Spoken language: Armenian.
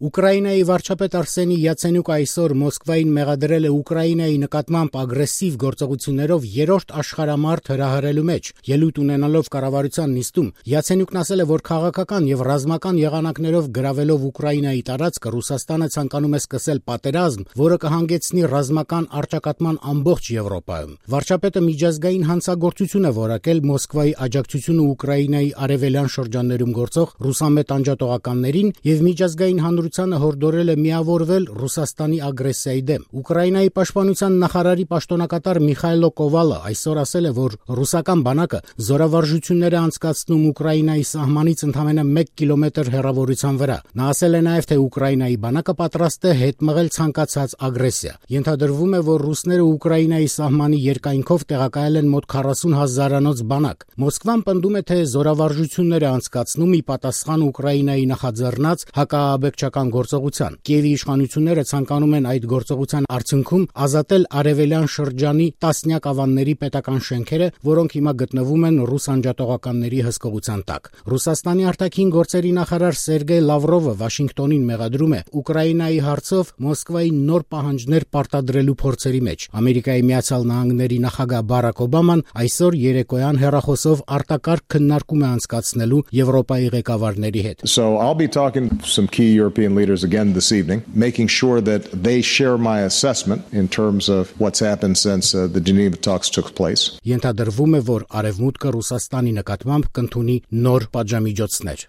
Ուկրաինայի վարչապետ Արսենի Յացենյուկը այսօր Մոսկվային մեղադրել է Ուկրաինայի նկատմամբ ագրեսիվ գործողություններով երրորդ աշխարհամարտ հրահրելու մեջ։ Ելույթ ունենալով կառավարության նիստում Յացենյուկն ասել է, որ քաղաքական եւ ռազմական եղանակներով գրավելով Ուկրաինայի տարածքը Ռուսաստանը ցանկանում է սկսել պատերազմ, որը կհանգեցնի ռազմական առճակատման ամբողջ Եվրոպայում։ Վարչապետը միջազգային հանցագործություն է որակել Մոսկվայի աջակցությունը Ուկրաինայի արևելյան շրջաններում գործող ռուսամետ անջատողականներին եւ միջազգային հանրությանը հորդորել է միավորվել Ռուսաստանի ագրեսիայի դեմ։ Ուկրաինայի պաշտպանության նախարարի պաշտոնակատար Միխայլո Կովալը այսօր ասել է, որ ռուսական բանակը զորավարժություններ է անցկացնում Ուկրաինայի սահմանից ընդամենը 1 կիլոմետր հեռավորության վրա։ Նա ասել է նաև, թե Ուկրաինայի բանակը պատրաստ է հետ մղել ցանկացած ագրեսիա։ Ենթադրվում է, որ ռուսները Ուկրաինայի սահմանի երկայնքով տեղակայել են մոտ 40,000-անոց բանակ։ Մոսկվան պնդում է, թե զորավարժություններ է անցկացնում ի պատասխան Ուկրաինայի նախաձեռնած հակաաբեկչական գործողության։ Կիևի իշխանությունները ցանկանում են այդ գործողության արդյունքում ազատել արևելյան շրջանի տասնյակ ավանների պետական շենքերը, որոնք հիմա գտնվում են ռուս անջատողականների հսկողության տակ։ Ռուսաստանի արտաքին գործերի նախարար Սերգեյ Լավրովը Վաշինգտոնին մեղադրում է Ուկրաինայի հարցով Մոսկվայի նոր պահանջներ պարտադրելու փորձերի մեջ։ Ամերիկայի Միացյալ Նահանգների նախագահ Բարաք Օբաման այսօր երեկոյան հեռախոսով արտակարգ քննարկում է անցկացնելու Եվրոպայի ղեկավարների հետ։ So I'll be talking to some key European leaders again this evening, making sure that they share my assessment in terms of what's happened since the Geneva talks took place. Ենթադրվում է, որ Արևմուտքը Ռուսաստանի նկատմամբ կընդունի նոր պատժամիջոցներ։